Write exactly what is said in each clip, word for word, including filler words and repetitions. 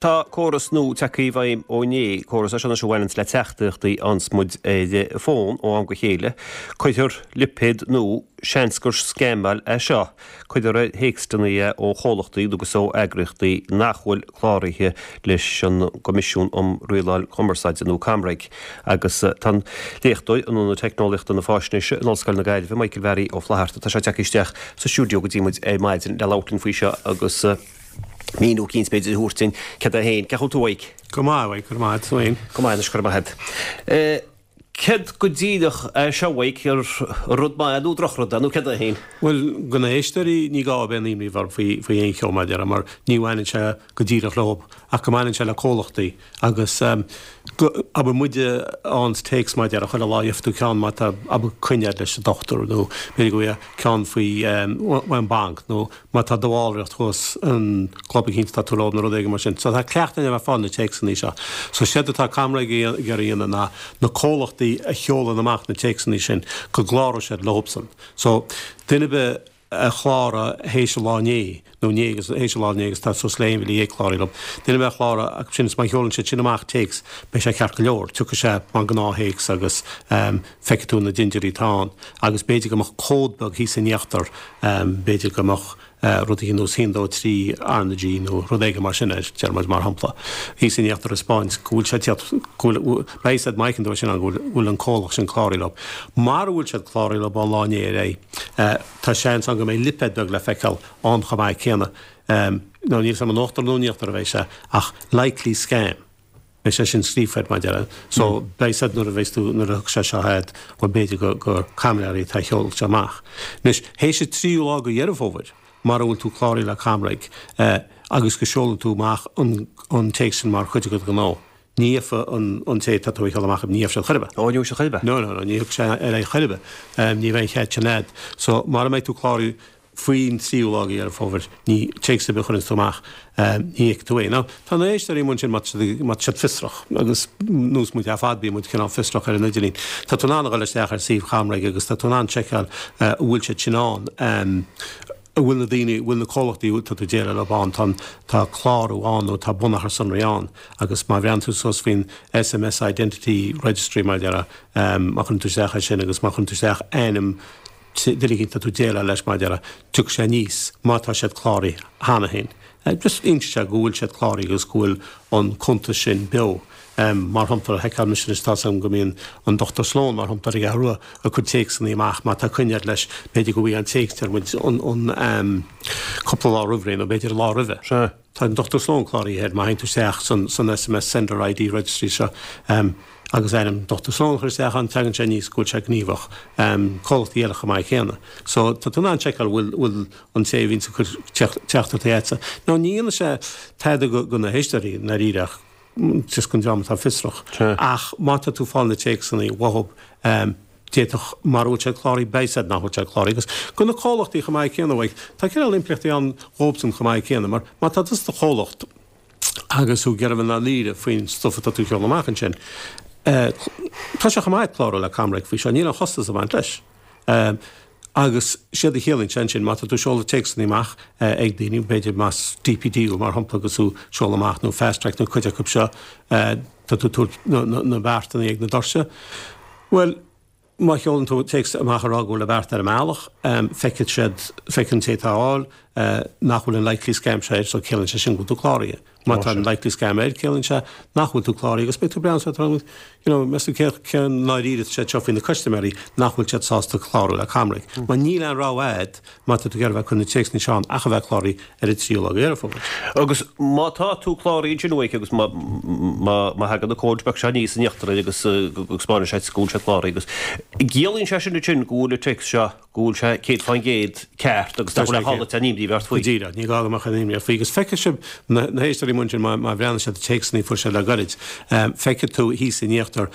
Tá córas nua tagtha i bhfeidhm ó inné, córas é seo anois a bhaineanns le teachtaireachtaí a fhaigheanns muid ar fón ó am go chéile. Cuirtear lipéad nua, seans gur scamáil é seo, cuirtear ar théacsanna é ó chomhlachtaí agus ó eagraíochtaí nach bhfuil cláraithe leis an gCoimisiún um Rialáil Cumarsáide nó ComReg. Agus tá an léachtóir in Ionad Teicneolaíochta na Faisnéise in Ollscoil na Gaillimhe, Michael Mhearaí Ó Flatharta, tá sé tagtha isteach sa stiúideo go dtí muid ar maidin le labhairt linn faoi seo agus míniú eicínt b'fhéidir a thabhairt dúinn céard é féin. Cén chaoi a bhfuil tú, a Mhaidhc? Go maith, a Mhaidhc, go maith, tú féin? Go maith anois, go raibh maith agat. Céard go díreach é seo, a Mhaidhc, ar rud maith nó drochrud é, nó céard é féin? Bhuel, do na héisteoirí, ní gá a bheith aon imní orthu faoi, faoi aon cheo mar a déarfá, mar ní bhaineann sé go díreach leo, ach go mbaineann sé le comhlachtaí agus go, abair muide a fhaigheanns téacs mar a déarfá, chuile lá gheobhaidh tú ceann má tá, abair, coinne agat leis an dochtúir nó b'fhéidir go bhfaighidh ceann faoi, ón mbanc nó má tá do bhallraíocht thuas an club eicínt atá tú leo nó rud éigin mar sin. So tá cleachtadh againn a bheith ag fáil na téacsanna seo. So séard atá ComReg ag iarraidh a dhéanamh ná na comhlachtaí a sheolann amach na téacsanna sin go gcláróidh siad leobsan. So duine ar bith a chláraigh théis an lá inné nó inné agus théis an lá inné agus tá suas le aon mhíle dhéag cláraithe leo. Duine ar bith a chláraigh acu sin is má sheolann siad sin amach téacs beidh sé ceart go leor. Tiocfaidh sé mar gnáth-théacs agus feicfidh tú na dindiúirí atá ann agus b'fhéidir go mbeadh cód beag thíos in íochtar, b'fhéidir go mbeadh rud éigin nós haon dó trí R na G nó rud éigin mar sin air, deir muid mar shampla, thíos in íochtar ag 'spáint go bhfuil sé ag tíocht, go bhfuil, beidh a fhios a'd má fheiceann tú é sin ann go bhfuil, go bhfuil an comhlacht sin cláraithe leo. Mara bhfuil siad cláraithe leo ón lá inné ar aghaidh, tá seans ann go mbeidh lipéad beag le feiceáil ann chomh maith céanna, nó níl 'fhios a'm in uachtar nó in íochtar a bheidh sé, ach likely scam. Beidh sé sin scríofa air, mar a déarfá. So, beidh 'fhios a'd nuair a bheas tú, nuair a thiocfaidh sé seo a'd, bhuel, b'fhéidir go, gur caimiléirí atá ag seoladh seo amach. Anois, théis an tríú lá de Dheireadh Fómhair, mara bhfuil tú cláraithe le ComReg, eh, agus go seolann tú amach an, an téacs sin mar chuid de do ghnó, ní gheobhaidh an, an té atá tú ag seoladh amach, ní gheobhaidh sé chor ar bith. Ó, ní gheobhaidh sé chor ar bith? No, no, no, ní thiocfaidh sé ar aghaidh chor ar bith. Eh, ní bheidh an chead sin a'd. So, mara mbeidh tú cláraithe, Faoin tríú lá de Dheireadh Fómhair, ní téacs ar bith a chuireanns tú amach, ní fheicfidh tú é. Now, tá na héisteoirí amuigh ansin má tá siad, má tá siad fiosrach, agus nós muid ar fad, bíonn muid cineál fiosrach ar an idirlíon. Tá tú in ann a dhul isteach ar suíomh ComReg agus tá tú in ann seiceáil an bhfuil siad sin ann, an bhfuil na daoine, an bhfuil na comhlachtaí atá tú ag déileáil leo ann, tá an, tá clárú ann nó tá bunachar sonraí ann agus má bhreathnaíonn tú suas faoin SMS Identity Registry, mar a déarfá, má chuireann tú isteach é sin agus má chuireann tú isteach ainm, duine éicint atá tú ag déileáil leis mar a déarfá, tiocfaidh sé aníos má tá siad cláraithe cheana féin. Just inseoidh sé go bhfuil siad cláraithe agus go bhfuil an cuntas sin beo. Mar shampla, sheiceáil mise anois, tá's agam go mbíonn an Dochtúir Sloan, mar shampla, ar an gCeathrú Rua ag cur téacsanna amach má tá coinne agat leis, b'fhéidir go bhfaighidh an téacs, deir muid, an cúpla lá roimh ré nó b'fhéidir an lá roimhe. Sea. Tá an Dochtúir Sloan cláraithe air má théann tú isteach san SMS Sender ID Registry seo. Agus ainm Dochtúir Sloan a chur isteach ann, tagann sé aníos go bhfuil sé gníomhach. Comhlachtaí eile chomh maith céanna. So, tá tú in ann seiceáil bhfuil, bhfuil an té a bhíonns ag cur teachtaireachtaí a'dsa. Now, ní dhéanfaidh sé tada go, go na héisteoirí, i ndáiríre, ach just don dream atá fiosrach. Ach má tá tú ag fáil na téacsanna uathub, d'fhéadfadh, mara bhfuil siad cláraithe, beidh 'fhios a'd nach bhfuil siad cláraithe. Agus go na comhlachtaí chomh maith céanna, bhuel, tá cineál impleachtaí ann dhóibhsan chomh maith céanna, mar má tá tusa i do chomhlacht, agus tú ag iarraidh a bheith i ndáiríre faoin stuif atá tú a sheoladh amach ansin. Tá sé chomh maith clárú le ComReg faoi seo, níl aon chostas ag baint leis. Agus séard a chiallaíonn sé ansin, má tá tú ag seoladh téacsanna amach ag daoine, b'fhéidir más DPD thú mar shampla agus tú ag seoladh amach nó Fast Track nó cuid acu seo, tá tú ag tabhairt na beartanna ag na doirse. Bhuel, Má sheolann tú téacs amach ag rá go bhfuil an beart ar an mbealach, feicfidh siad, feicfidh an té atá á fháil, nach bhfuil an likely scam seo air, so ciallaíonn sé sin go bhfuil tú cláraithe. Má tá an likely scam air, ciallaíonn sé nach bhfuil tú cláraithe agus beidh tú ag breathnú suas ag rá, you know, meas tú cé cén náiríre atá siad seo faoi na custaiméirí nach bhfuil siad sásta clárú le ComReg. Mar níl aon rogha a'd má tá tú ag iarraidh a bheith ag cur na téacsanna seo ann ach a bheith cláraithe ar an tríú lá de Dheireadh Fómhair. Agus má tá tú cláraithe ansin uaidh agus má má thagann an cód beag seo aníos in íochtar air agus go spáineann sé go bhfuil sé cláraithe agus ciallaíonn sé sin ansin go bhfuil an téacs seo go bhfuil sé céad fán gcéad ceart agus nach bhfuil a chodladh aon imní ort faoi. Go díreach, ní gá go mbeadh aon imní ort faoi. Agus feicfidh sibh na na héisteoirí amuigh ansin má má bhreathnaíonn siad ar téacsanna a fuair siad le gairid, feicfidh tú thíos in íochtar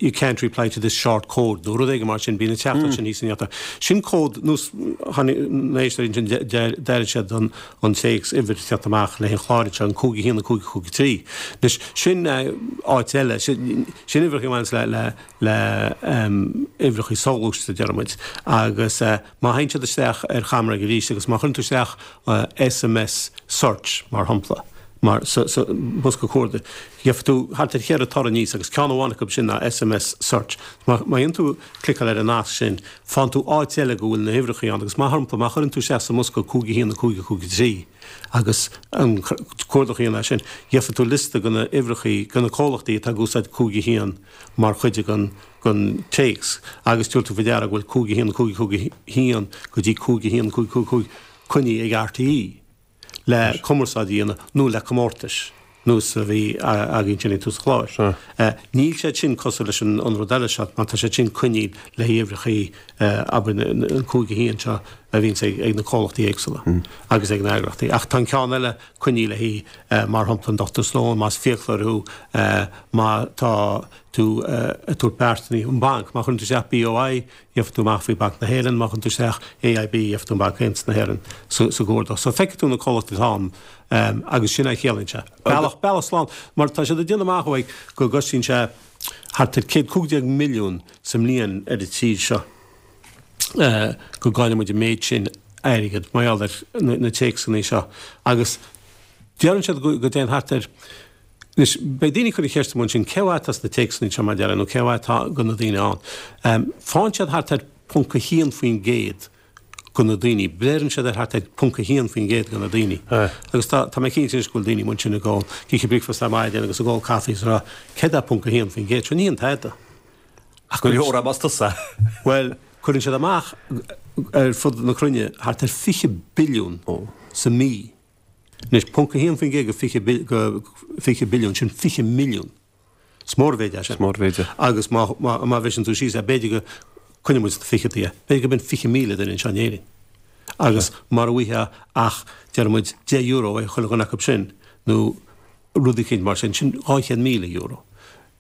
you can't reply to this short code nó rud éigin mar sin, bíonn an teachtaireacht sin thíos in íochtar. Sin cód nós tháinig na héisteoirí ansin d'airigh siad an an téacs uimhir ag teacht amach le haghaidh an chláir anseo, an cúig a haon, a cúig, a cúig a trí. Anois sin áit eile, sin sin uimhreacha a bhaineanns le le le uimhreacha soghluaiste a deir muid. Agus má théann siad isteach ar ComReg arís agus má chuireann tú isteach SMS search mar shampla, Mar sa sa bosca cuardaigh, gheobhaidh tú thart ar cheithre toradh aníos agus ceann amháin acu sin ná S M S search. Má má dhéanann tú cliceáil ar an nasc sin, faigheann tú áit eile go bhfuil na huimhreacha ann agus mar shampla má chuireann tú isteach sa mbosca cúig a haon a cúig a cúig a trí agus an cuardach a dhéanamh air sin, gheobhaidh tú liosta de na huimhreacha, de na comhlachtaí atá ag úsáid cúig a haon mar chuid den den téacs agus tabharfaidh tú faoi deara go bhfuil cúig a haon a cúig a cúig a haon go dtí cúig a haon a cúig cúig cúig coinnithe ag R T E le cumarsáid a dhéanamh nó le comórtais nós a bhí againn sin ag tús an chláir. Níl siad sin cosúil leis an rud eile seo mar tá siad sin coinnithe le huimhreacha, abair an cúig a haon seo a bhíonns ag na comhlachtaí éagsúla agus ag na heagraíochtaí. Ach tá an ceann eile coinnithe le haghaidh mar shampla an Dochtúir Sloan, más fiaclóir thú, má tá tú ag tabhairt beartanna an banc, má chuireann tú isteach B O I, gheobhaidh tú amach faoi Banc na hÉireann, má chuireann tú isteach A I B, gheobhaidh tú an Banc Aontas na hÉireann sa gcuardach. So feicfidh tú na comhlachtaí atá ann agus sin é a chiallaíonn sé. Bealach, bealach slán, mar tá siad ag déanamh amach uaidh go gcosnaíonn sé thart ar céad cúig déag milliún sa mbliain ar an tír seo go gcailleann muid an méid sin airgead mar gheall ar na téacsanna seo agus deireann siad go dtéann thart ar. Anois, beidh daoine ag cur an cheist amuigh ansin, cé mhéad atá sna téacsanna seo mar deireadh, nó cé mhéad atá de na daoine ann? Faigheann siad thart ar ponc a haon faoin gcéad de na daoine, beireann siad ar thart ar ponc a haon faoin gcéad de na daoine. Agus tá, tá mé cinnte anois go bhfuil daoine amuigh ansin ag ól, ag ithe bricfeasta ar maidin agus ag ól caife is ag rá, céard é ponc a haon faoin gcéad? Seo ní an tada. Ach go leor más tusa. Bhuel, cuireann siad amach ar fud na cruinne thart ar fiche billiún sa mí. Anois, ponc a haon faoin gcéad go fiche go fiche billiún, sin fiche milliún. Is mór an mhéid é sin. Is mór an mhéid é. Agus má má má bhriseann tú síos é, b'fhéidir go coinneoidh muid sna fichidí é, b'fhéidir go b'in fiche míle duine anseo in Éirinn. Agus mara bhfaighfeá ach, deir muid, deich euro ó chuile dhuine acu sin, nó rud eicínt mar sin, sin dhá chéad míle euro.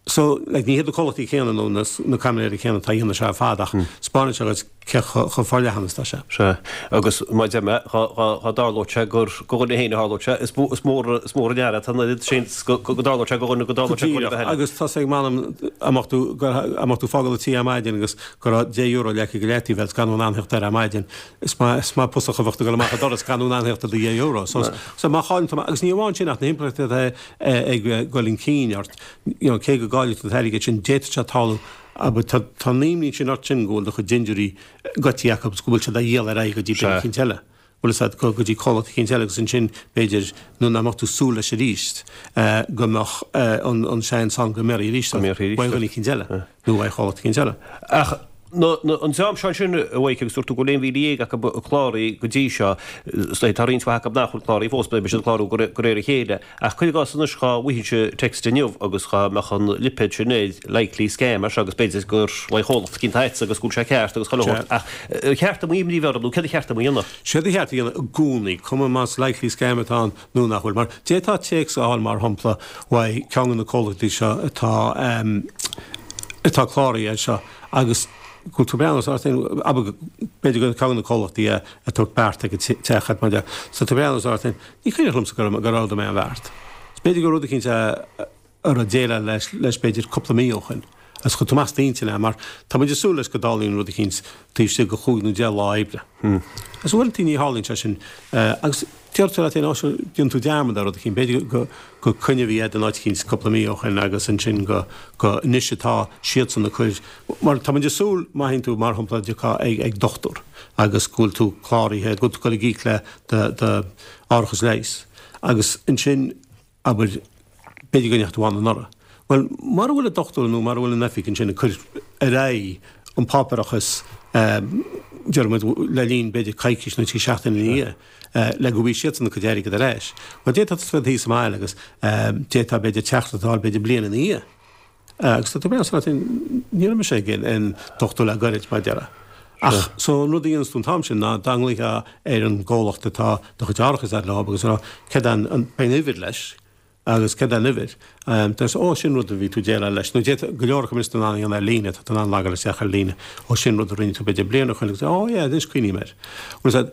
So, like, ní hiad na comhlachtaí céanna nó na, na caimiléirí céanna atá á dhéanamh seo ar fad ach spáineann sé dhuit cé chomh forleathan is atá sé. Sea, agus mar a deir mé, dhá, dhá, dhá dtarlódh sé gur go dhuine féin a tharlódh sé, is mó, is mór, is mór an earra atá an oiread sin go, go dtarlódh sé go dhuine, go dtarlódh sé go dhuine eile. Agus tá sé ag m'anam dá mbeadh tú, dá mbeadh tú ag fágáil an tí ar maidin agus go raibh deich euro leagtha go leataobh agat gan tú in ann theacht air ar maidin, is maith, is maith pusach a bheadh ag dul amach an doras gan tú in ann theacht ar do dheich euro. So, so má chailleann tú, agus ní amháin sin ach na himpleachtaí atá ag dul chun cinn ort, you know, cé go gcaillfidh tú an t-airgead sin, d'fhéadfadh sé tarlú, abair, tá, tá an imní sin ort sin go bhfuil do chuid dintiúirí goidte acu agus go bhfuil siad á dhíol ar aghaidh go dtí duine eicínt eile. Bhfuil fhios agat, go, go dtí comhlacht eicínt eile agus ansin, b'fhéidir, nuair nach mbeadh tú ag súil leis arís, go mbeadh an, an seans ann go mbéarfaí arís ort, uaidh dhuine eicínt eile nó uaidh chomhlacht eicínt eile. Ach na, an dream seo ansin, a Mhaidhc, agus dúirt tú go bhfuil aon mhíle dhéag acu cláraithe go dtí seo, is dóigh tá roinnt mhaith acu nach bhfuil cláraithe fós, beidh siad ag clárú de réir a chéile. Ach cuir i gcás anois dhá bhfaighfinnse text inniu agus dhá mbeadh an lipéad sin air, likely scam mar seo agus b'fhéidir gur uaidh chomhlacht eicínt atá agus go bhfuil sé ceart agus chuile shórt. Ach ar cheart dom imní a bheith orm nó céard a cheart dom a dhéanamh? Séard a cheart a dhéanamh i gcónaí, cuma más likely scam atá ann nó nach bhfuil. Mar d'fhéadfá téacs a fháil mar shampla uaidh ceann de na comhlachtaí seo atá atá cláraithe anseo agus go bhfuil tú ag breathnú ort féin, abair, b'fhéidir gur ceann de na comhlachtaí é ag tabhairt beart ag an teach mar dhea. So tú ag breathnú ort féin, ní cuimhneach liomsa gur gur ordaigh mé an bheart. B'fhéidir gur rud eicínt é a raibh déileáil leis leis b'fhéidir cúpla mí ó shin. Agus chuir tú amach as d'intinn é mar tá muid ag súil leis go dtarlaíonn rud eicínt taobh istigh de chúig nó deich lá oibre. Agus uaireanta ní tharlaíonn sé sin. Agus deir tú leat féin, ó sure, déanann tú dearmad ar rud eicínt, b'fhéidir go go coinne a bhí agat in áit eicínt cúpla mí ó shin agus ansin go go anois atá siadsan ag cur, mar tá muid ag súil má théann tú mar shampla dtiocfá ag ag dochtúir agus go bhfuil tú cláraithe, go bhfuil tú ag dul ag íoc le do do árachas leighis agus ansin abair b'fhéidir go ndeachaigh tú ann anuraidh. Bhuel, mara bhfuil an dochtúir nó mara bhfuil an oifig ansin ag cur ar aghaidh an páipéarachas, déarfaidh muid, le linn b'fhéidir coicís nó trí seachtaine ina dhiaidh, le go bhfaighidh siadsan a gcuid airgid ar ais, bhuel, d'fhéadfá tusa bheith thíos sa mbaile agus d'fhéadfá b'fhéidir teacht a fháil b'fhéidir bliain ina dhiaidh. Agus tá tú ag breathnú san ní raibh mise ag an dochtúir le goirid, mar a déarfá. Ach, so an rud a dhéanas tú an t-am sin ná dá nglaoifeá ar an gcomhlacht atá do chuid árachais agat leo agus a rá céard é an, beidh an uimhir leis, Agus céard é an uimhir? Deir sé, Ó, sin rud a bhí tú ag déileáil leis. Nó d'fhéadfadh go leor acu anois in ann a dhéanamh ar líne, tá tú in ann logáil isteach ar líne. Ó, sin rud a rinne tú b'fhéidir bliain ó shin agus, ó yeah, anois cuimhním air. Bhuel, is ea,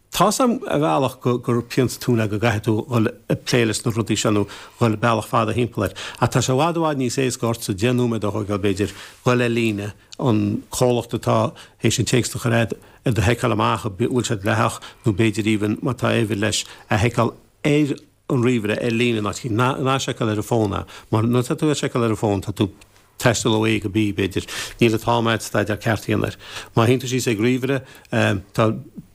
tá's a'm ar bhealach go, gur pian sa tóin é go gcaithfidh tú dhul ag plé leis na rudaí seo nó dhul bealach fada thimpeall air. Ach tá sé i bhfad i bhfad níos éasca ortsa deich nóiméad a thógáil b'fhéidir, dhul ar líne, an comhlacht atá théis an téacs a chur agat a sheiceáil amach an bhfuil sé dleathach nó b'fhéidir even má tá uimhir leis a sheiceáil ar an ríomhaire ar líne ná ná seiceáil ar an bhfón é, mar nuair atá tú ag seiceáil ar an bhfón tá tú taisteal ó A go B b'fhéidir, níl an t-am agat staidéar ceart a dhéanamh air. Má théann tú síos ag ríomhaire tá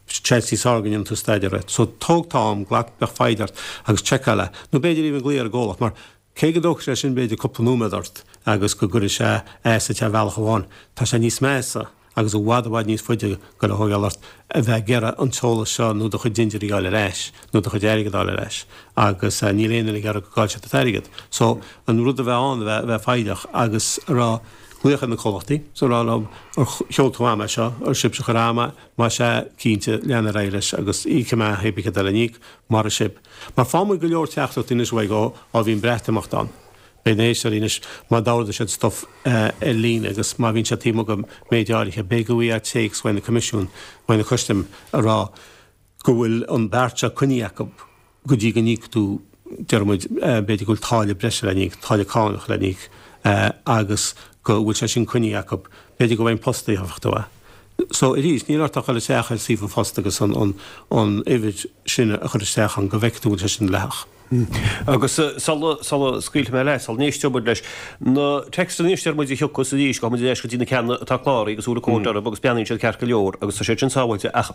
seans níos fearr go ndéanann tú staidéar air. So tóg t-am, glac, bíodh foighid ort agus seiceáil é. Nó b'fhéidir even glaoch ar an gcomhlacht mar cé go dtógfaidh sé sin b'fhéidir cúpla nóiméad ort agus go gcuirfidh sé as duit ar bhealach amháin, tá sé níos measa agus i bhfad i bhfad níos faide ag dul a thógáil ort a bheith ag iarraidh an t-eolas seo nó do chuid dintiúirí a fháil ar ais nó do chuid airgid a fháil ar ais agus níl aon duine ag iarraidh go gcaillfidh siad an t-airgead. So an rud a bheith ann a bheith a bheith foighdeach agus a rá glaoch ar na comhlachtaí so a rá leo ar sheol tú chugam é seo, ar sibhse a chuir chugam é, más ea cinnte lean ar aghaidh leis agus íocfaidh mé pé bith céard atá le n-íoc mar a sibh. Mar faigheann muid go leor teachtaireachtaí anois uaidh ó ó bhí an Breatimeacht ann. Beidh na héisteoirí anois, má d'ordaigh siad stuff ar líne agus má bhíonn siad taobh amuigh de méid áirithe, beidh go bhfaighidh téacs uaidh na Coimisiún, uaidh na Custaim a rá go bhfuil an beart seo coinnithe acu go dtí go n-íocfaidh tú, deir muid, b'fhéidir go bhfuil táille breise le n-íoc, táille cánach le n-íoc agus go bhfuil sé sin coinnithe acu. B'fhéidir go bhfuil an post a íocfadh tú é. So, arís, níl ort ach dul isteach ar suíomh an phost agus an an uimhir sin a chur isteach ann go bhfeicfidh tú go bhfuil sé sin dleathach. Agus sula sula scaoilfidh mé leat, sula n-éisteoidh muid leis na téacsanna anois deir muid a thiocfas arís, gabhfaidh muid ar ais go dtí na ceanna atá cláraithe agus bhfuil cód orthu agus breathnaíonn siad ceart go leor agus tá siad sin sábháilte ach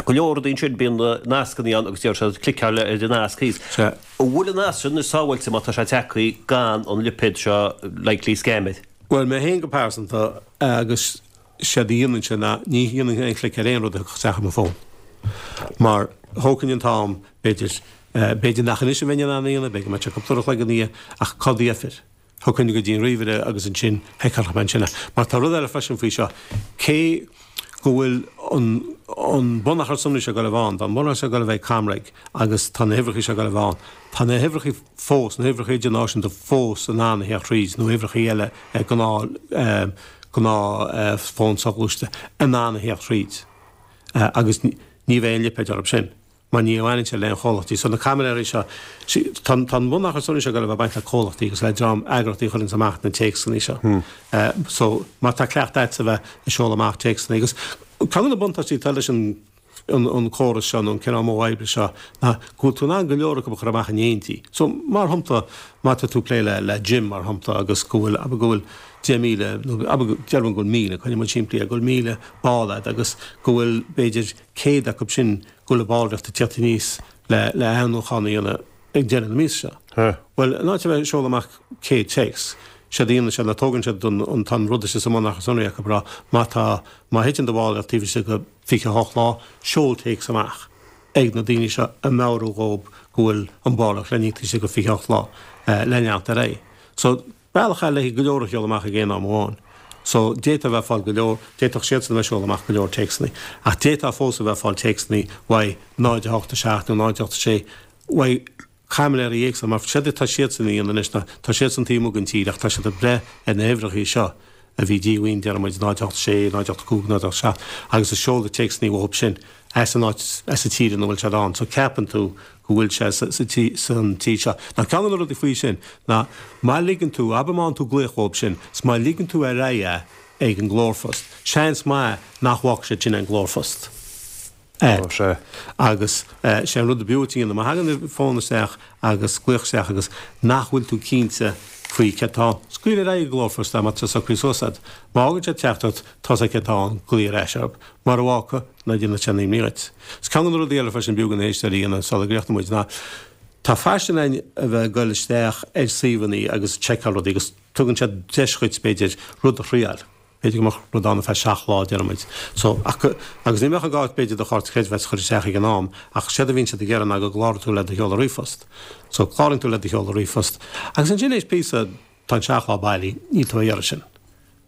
go leor rudaí ansin bíonn na nascanna ann agus deir siad cliceáil ar an nasc thíos. Sea. An bhfuil an nasc sin anois sábháilte má tá sé tagtha gan an lipéad seo likely scam air? Bhuel, mé féin go pearsanta agus séard a dhéanfainnse ná ní dhéanfainn aon chlic ar aon rud a thiocfadh isteach ar mo fón. Mar thógfainn an t-am, b'fhéidir, b'fhéidir nach anois a bheinn in ann é a dhéanamh, b'fhéidir go mbeadh sé cúpla uair a chloig ina dhiaidh, ach cá dheifir? Thiocfainn go dtí an ríomhaire agus ansin sheiceálfadh mé ansin é. Mar tá rud eile freisin faoi seo, cé go bhfuil an an bunachar sonraí seo ag dul a bheith ann, tá an bunachar seo ag dul a bheith ag ComReg agus tá na huimhreacha seo ag dul a bheith ann, tá na huimhreacha fós, na huimhreacha idirnáisiúnta fós in ann a theacht thríd nó uimhreacha eile gnáth gnáth fón soghluaiste in ann a theacht thríd agus ní bheidh aon lipéad orthu sin mar ní bhaineann sé le aon chomhlachtaí. So na caimiléirí seo, tá an bunachar sonraí seo ag dul a bheith ag baint le comhlachtaí agus le dream eagraíochtaí a chuireanns amach na téacsanna seo. So má tá cleachtadh agatsa a bheith ag seoladh amach téacsanna agus ceann de na buntáistí atá leis an an córas seo nó an cineál modh oibre seo ná go bhfuil tú in ann go leor acu a chur amach in éindí. So, mar shampla, má tá tú ag plé le le gym, mar shampla, agus go bhfuil, abair go bhfuil deich míle, nó abair, déarfainn go bhfuil míle, coinneoidh muid simplí é, go bhfuil míle ball agat agus go bhfuil b'fhéidir céad acu sin go bhfuil a ballraíocht ag tíocht aníos le le athnuachán a dhéanamh ag deireadh na míosa seo. Bhuel, in áit a bheith ag seoladh amach céad téacs, séard a dhéanann siad ná tógann siad an an tá an rud istigh sa mbunachar sonraí acu ag rá má tá má thiteann do bhallraíocht taobh istigh de fiche a hocht lá, seol téacs amach ag na daoine seo ag meabhrú dhóibh go bhfuil an bhallraíocht le n-íoc taobh istigh de fiche a hocht lá le leanacht ar aghaidh. So, bealach eile le go leor a sheoladh amach ag aon am amháin. So, d'fhéadfá a bheith ag fáil go leor, d'fhéadfadh siadsan a bheith ag seoladh amach go leor téacsanna, ach d'fhéadfá fós a bheith ag fáil téacsanna uaidh náid a hocht a seacht nó náid a hocht a sé uaidh caimiléirí éagsúla, mar séard atá siadsan a dhéanamh anois ná tá siadsan taobh amuigh den tír ach tá siad ag breith ar na huimhreacha seo a bhí díomhaoin, déarfaidh muid, náid a hocht a sé, náid a hocht a cúig, náid a hocht a seacht, agus ag seoladh téacsanna uathu sin as an áit, as an tír ina bhfuil siad ann. So ceapann tú go bhfuil sé sa, sa tí, san tír seo. Now ceann de na rudaí faoi sin ná má ligeann tú, abair má fhaigheann tú glaoch uathu sin, 's má ligeann tú ar aghaidh é ag an nglórphost, seans maith nach bhfágfaidh siad sin an glórphost. Sea. Agus sé an rud ab fhiú duit a dhéanamh, má thagann fón isteach agus glaoch isteach agus nach bhfuil tú cinnte faoi céard atá ann, scaoil ar aghaidh an glórphost é má tá sé socraithe suas agat. Má fhágann sé teachtaireacht, tá's agat céard atá ann, glaoigh ar ais orthu. Mara bhfágfaidh, ná déanadh sé aon imní dhuit. Is ceann de na rudaí eile freisin b'fhiú do na héisteoirí a dhéanamh sula gcríochnóidh muid ná tá faisean ann a bheith ag dul isteach ar suíomhanna agus ag seiceáil rudaí agus tugann siad deis dhuit, b'fhéidir, rud a thriáil. B'fhéidir go mbeadh rud ann ar feadh seacht lá, déarfaidh muid. So, ach go, agus ní bheadh an gá b'fhéidir do chárta creidmheasa a chur isteach ag an am, ach séard a bhíonn siad ag iarraidh ná go gcláraíonn tú le do sheoladh ríomhphost. So, cláraíonn tú le do sheoladh ríomhphost agus ansin éis píosa, tá an seacht lá bailí, níl tú á iarraidh sin.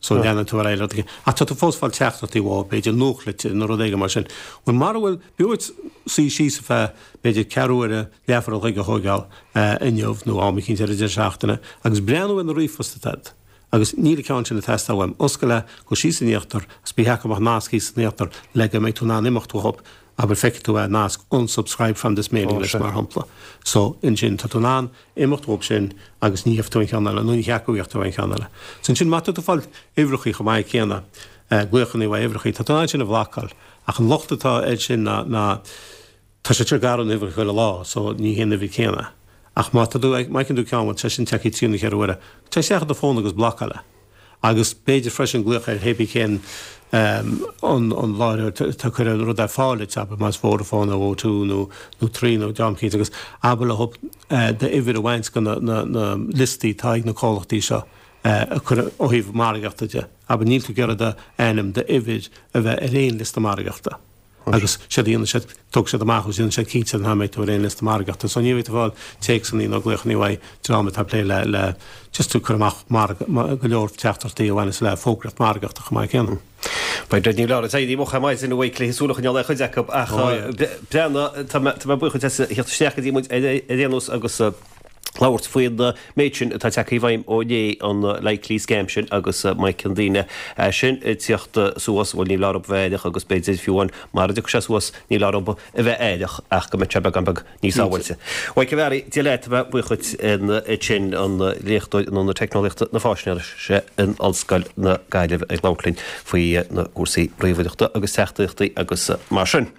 So, leanann tú ar aghaidh le rud éigin. Ach tá tú fós ag fáil teachtaireachtaí uathu, b'fhéidir nuachtlitir nó rud éigin mar sin. Bhuel, mara bhfuil, b'fhiú duit suí síos ar feadh, b'fhéidir ceathrú uaire, leathuair an chloig a thóigeáil inniu nó am eicínt ar an deireadh seachtaine agus breathnú ar na ríomhphoist atá agat. Agus níl an ceann sin ag teastáil uaim. Oscail é, gabh síos in íochtar, agus beidh acu amach nasc thíos in íochtar le go mbeidh tú in ann imeacht uathu. Abair, feicfidh tú é, nasc unsubscribe from this mailing list, mar shampla. So, ansin, tá tú in ann imeacht uathu sin agus ní gheobhaidh tú aon cheann eile, nó ní cheapadh go bhfaighidh tú aon cheann eile. So ansin, má tá tú ag fáil uimhreachaí chomh maith céanna, glaochanna uaidh uimhreachaí, tá tú in ann sin a bhlocáil. Ach an locht atá air sin ná, ná, Tá sé ag athrú an uimhir chuile lá, so ní hé an uimhir céanna. Ach má tá tú má fheiceann tú ceann tá sin tagtha trí nó ceithre huaire, téigh isteach ar do fón agus blocáil é. Agus b'fhéidir freisin glaoch ar hébí cén an an láithreoir atá ag cur an rud ar fáil duit, abair más Vodafone nó O two nó nó Three nó dream eicínt agus abair leo d'uimhir a bhaint de na na na liostaí atá ag na comhlachtaí seo a chur ó thaobh margaíochta de. Abair níl tú ag iarraidh d'ainm, d'uimhir a bheith ar aon liosta margaíochta. Agus séard a dhéanann siad, tógfaidh siad amach agus déanann siad cinnte nach mbeidh tú ar aon liosta margaíochta. So ní bheidh tú ag fáil téacsanna nó glaochanna uaidh dream atá ag plé le le just ag cur amach margadh go leor teachtaireachtaí a bhaineas le fógraíocht margaíochta chomh maith céanna. Beidh Ní Leabhar ag éirí moch ar maidin a bhuí le súil a choinneáil ar chuid acu ach breathnaigh, tá mé buíoch duit as theacht isteach go dtí muid ar aon nós agus labhairt faoin méid sin atá tagtha i bhfeidhm ó inné, an likely scam sin agus má fheiceann daoine é sin ag tíocht suas, bhuel ní foláir dóibh bheith aireach agus b'fhéidir fiú amháin mara dtiocfaidh sé suas ní foláir dóibh a bheith aireach ach go mbeidh sé beagán beag níos sábháilte. Mhaidhc an Bhearraigh, Dia leat, tá mé buíoch duit ansin, an léachtóir in Ionad Teicneolaíochta na Faisnéise in Ollscoil na Gaillimhe ag labhairt linn faoi na cúrsaí ríomhaireachta agus teachtaireachtaí agus mar sin.